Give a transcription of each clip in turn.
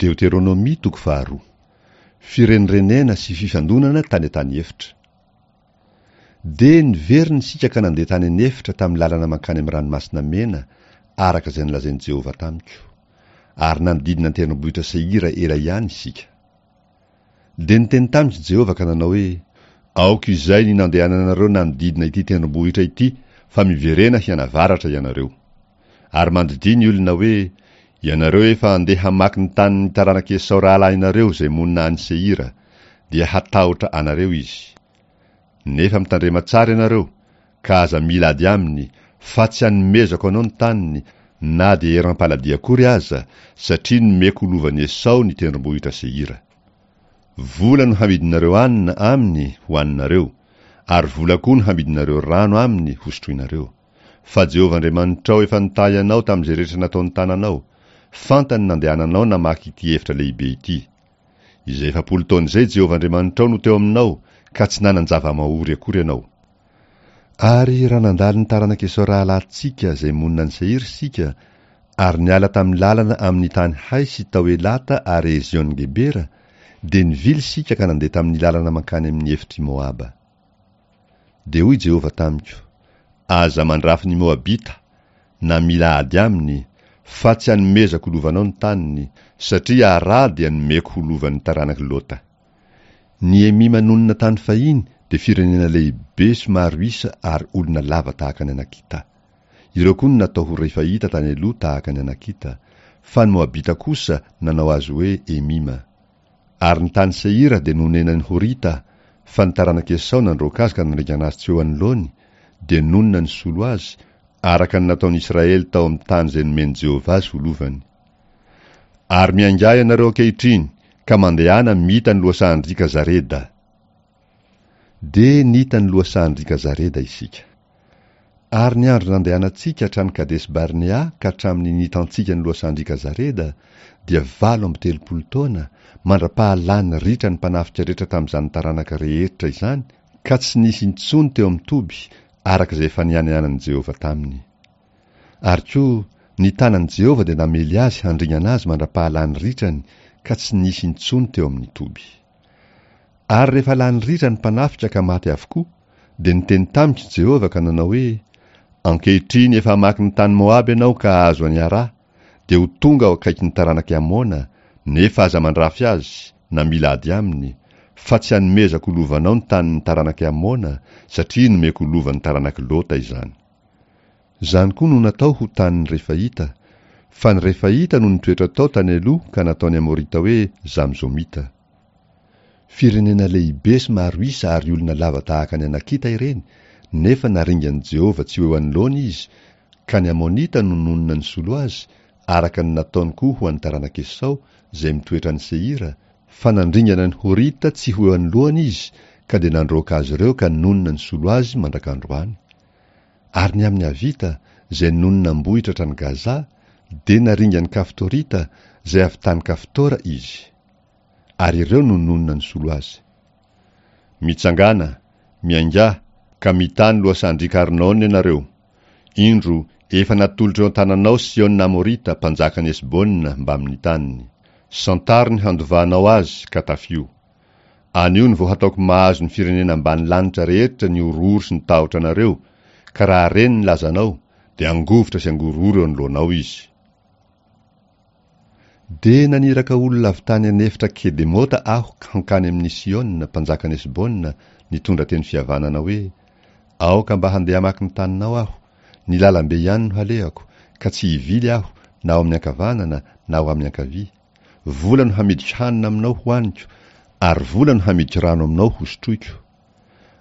Deoteronomia toko faharoa. Firenirenena sy fifandonana tany an-tany efitra. Dia niverina isika ka nandeha tany an'efitra tamin'ny lalana mankany amin'ny Ranomasina Mena, araka izay nolazain'i Jehovah tamiko. Ary nanodidina ny tendrombohitra Seira ela ihany isika. Dia niteny tamiko Jehovah ka nanao hoe, Aoka izay ny nandehananareo nanodidina ity tendrombohitra ity, fa miverena hianavaratra ianareo. Ary mandidia ny olona hoe, Ianareo efa handeha hamaky ny tanin'ny taranak'i Esao rahalahinareo izay monina any Seira, dia hatahotra anareo izy. Nefa mitandrema tsara ianareo, ka aza mila ady aminy, fa tsy hanomezako anao ny taniny, na dia eram-paladia akory aza, satria nomeko ho lovan'i Esao ny tendrombohitra Seira. Vola no hamidinareo hanina aminy hohaninareo, ary vola koa no hamidinareo rano aminy hosotroinareo. Fa Jehovah Andriamanitrao efa nitahy anao tamin'izay rehetra nataon'ny tananao, fantany nandehananao namaky ity efitra lehibe ity. Izay 40 taona izay Jehovah Andriamanitrao no teo aminao, ka tsy nanan-java-mahory akory ianao. Ary raha nandalo ny taranak'i Esao rahalahintsika izay monina any Seira isika, ary niala tamin'ny lalana amin'ny tany Hay sy tao Elata ary Ezion-gebera, dia nivily isika ka nandeha tamin'ny lalana mankany amin'ny efitr'i Moaba. Dia hoy Jehovah tamiko, Aza mandrafy ny Moabita, na mila ady aminy, fa tsy hanomezako ho lovanao ny taniny, satria Ara dia nomeko ho lovan'ny taranak'i Lota. Ny Emima nonina tany fahiny dia firenena lehibe sy maro isa ary olona lava tahaka ny Anakita. Ireo koa no natao ho Refaita tany aloha tahaka ny Anakita, fa ny Moabita kosa nanao azy hoe Emima. Ary ny tany Seira dia nonenan'ny Horita, fa ny taranak'i Esao nandroaka azy ka nandringana azy tsy eo anoloany, dia nonina nisolo azy, araka ny nataon'i Israely tao amin'ny tany izay nomen'i Jehovah azy ho lovany. Ary miaingà ianareo ankehitriny, ka mandehana mita ny lohasahan-driaka Zareda. Dia nita ny lohasahan-driaka Zareda isika. Ary ny andro nandehanantsika hatrany Kadesy-Barnea ka hatramin'ny nitantsika ny lohasahan-driaka Zareda dia 38 taona, mandra-pahalany ritra ny mpanafika rehetra tamin'izany taranaka rehetra izany, ka tsy nisy intsony teo amin'ny toby, araka izay efa nianianan'i Jehovah taminy. Ary koa, ny tanan'i Jehovah dia namely azy handringana azy mandra-pahalany ritrany, ka tsy nisy intsony teo amin'ny toby. Ary rehefa lany ritra ny mpanafika ka maty avokoa, dia niteny tamiko Jehovah ka nanao hoe, Ankehitriny efa hamaky ny tany Moaba ianao ka hahazo an'i Ara, dia ho tonga ao akaikin'ny taranak'i Amona, nefa aza mandrafy azy, na mila ady aminy, fa tsy hanomezako ho lovanao ny tanin'ny taranak'i Amona, satria nomeko ho lovan'ny taranak'i Lota izany. Izany koa no natao ho tanin'ny Refaita, fa ny Refaita no nitoetra tao tany aloha ka nataon'ny Amorita hoe Zamzomita. Firenena lehibe sy maro isa ary olona lava tahaka ny Anakita ireny, nefa naringan'i Jehovah tsy ho eo anoloany izy, ka ny Amonita no nonina nisolo azy, araka ny nataony koa ho an'ny taranak'i Esao, izay mitoetra any Seira, fa nandringana ny Horita tsy ho eo anoloany izy, ka dia nandroaka azy ireo ka nonina nisolo azy mandrak'androany. Ary ny amin'ny Avita, izay nonina am-bohitra hatrany Gaza, dia naringan'ny Kaftorita, izay avy tany Kaftora, izy. Ary ireo no nonina nisolo azy. Mitsangàna, miaingà, ka mità ny lohasahan-driaka Arnona ianareo. Indro, efa natolotra eo an-tananao Siôna Amorita, mpanjakan'i Hesbona, mbamin'ny taniny. Santaro ny handovanao azy, ka tafio. Anio no vao hataoko mahazo ny firenena ambany lanitra rehetra ny horohoro sy ny tahotra anareo, ka raha reny ny lazanao, dia hangovitra sy hangorohoro eo anoloanao izy. Dia naniraka olona avy tany an'efitra Kedemota aho hankany amin'i Sihona, mpanjakan'i Hesbona, nitondra teny fihavanana hoe, Aoka mba handeha hamaky ny taninao aho, ny lalambe ihany no halehako, ka tsy hivily aho na ho amin'ny ankavanana na ho amin'ny ankavia. Vola no hamidiko hanina aminao hohaniko, ary vola no hamidiko rano aminao hosotroiko.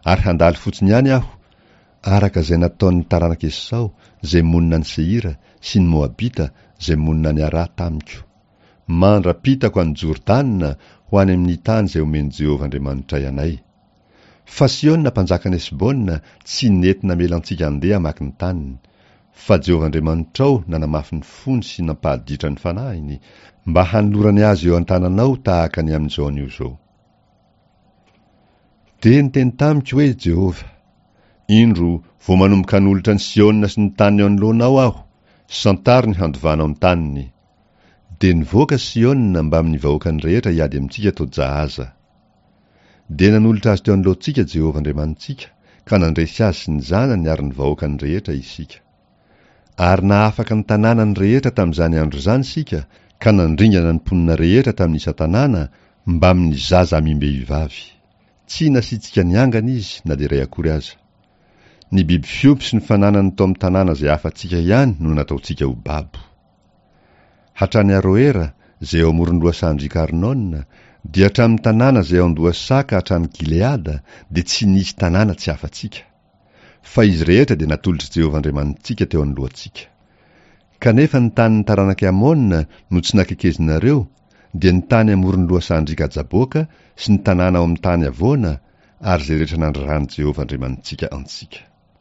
Ary handalo fotsiny ihany aho, araka izay nataon'ny taranak'i Esao izay monina any Seira sy ny Moabita izay monina any Ara tamiko, mandra-pitako an'i Jordana ho any amin'ny tany izay omen'i Jehovah Andriamanitray anay. Fa Sihona mpanjakan'i Hesbona tsy nety namela antsika handeha hamaky ny taniny, fa Jehovah Andriamanitrao nanamafy ny fony sy nampahaditra ny fanahiny, mba hanolorany azy eo an-tananao tahaka ny amin'izao anio izao. Dia niteny tamiko hoe Jehovah, Indro, vao manomboka hanolotra an'i Sihona sy ny taniny eo anoloanao Aho, santaro ny handovanao ny taniny. Dia nivoaka Sihona mbamin'ny vahoakany rehetra hiady amintsika tao Jahaza. Dia nanolotra azy teo anoloantsika Jehovah Andriamanitsika, ka nandresy azy sy ny zanany ary ny vahoakany rehetra isika. Ary nahafaka ny tanànany rehetra tamin'izany andro izany isika, ka nandringana ny mponina rehetra tamin'ny isan-tanàna, mbamin'ny zaza amim-behivavy. Tsy nasiantsika niangana izy na dia iray akory aza. Ny biby fiompy sy ny fananany tao amin'ny tanàna izay afa-tsika ihany no nataontsika ho babo. Hatrany Aroera, izay eo amoron'ny lohasahan-driaka Arnona, dia hatramin'ny tanàna izay ao an-dohasaha ka hatrany Gileada, dia tsy nisy tanàna tsy afa-tsika. Fa izy rehetra dia natolotr'i Jehovah Andriamanitsika teo anoloantsika. Kanefa ny tanin'ny taranak'i Amona no tsy nakekezinareo, dia ny tany amoron'ny lohasahan-driaka Jaboka sy ny tanàna ao amin'ny tany havoana, ary izay rehetra nandraran'i Jehovah Andriamanitsika antsika.